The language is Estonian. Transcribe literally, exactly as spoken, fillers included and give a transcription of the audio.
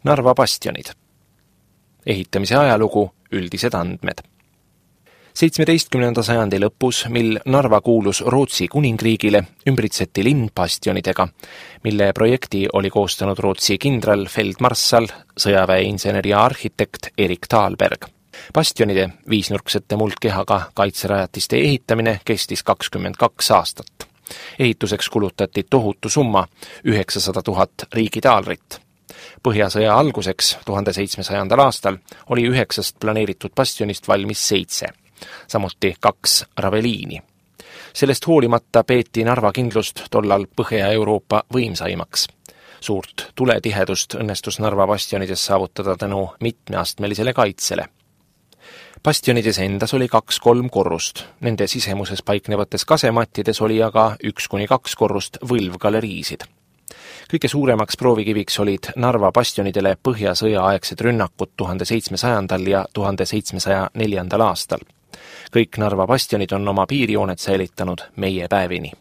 Narva bastionid. Ehitamise ajalugu, üldised andmed. seitsmeteistkümnenda sajandi lõpus, mil Narva kuulus Rootsi kuningriigile, ümbritseti linn bastionidega, mille projekti oli koostanud Rootsi kindral, feldmarssal, sõjaväeinsener ja arhitekt Erik Thalberg. Bastionide viisnurksete muldkehaga kaitserajatiste ehitamine kestis kakskümmend kaks aastat. Ehituseks kulutati tohutu summa, üheksasada tuhat riigitaalrit. Põhjasõja alguseks tuhande seitsmesajandal aastal oli üheksast planeeritud bastionist valmis seitse, samuti kaks raveliini. Sellest hoolimata peeti Narva kindlust tollal Põhja-Euroopa võimsaimaks. Suurt tuletihedust õnnestus Narva bastionides saavutada tänu mitmeastmelisele kaitsele. Bastionides endas oli kaks-kolm korrust, nende sisemuses paiknevates kasemattides oli aga üks kuni kaks korrust võlvgaleriisid. Kõige suuremaks proovikiviks olid Narva bastionidele Põhjasõja aegsed rünnakud tuhande seitsmesajandal ja tuhande seitsmesaja neljandal aastal. Kõik Narva bastionid on oma piirijooned säilitanud meie päevini.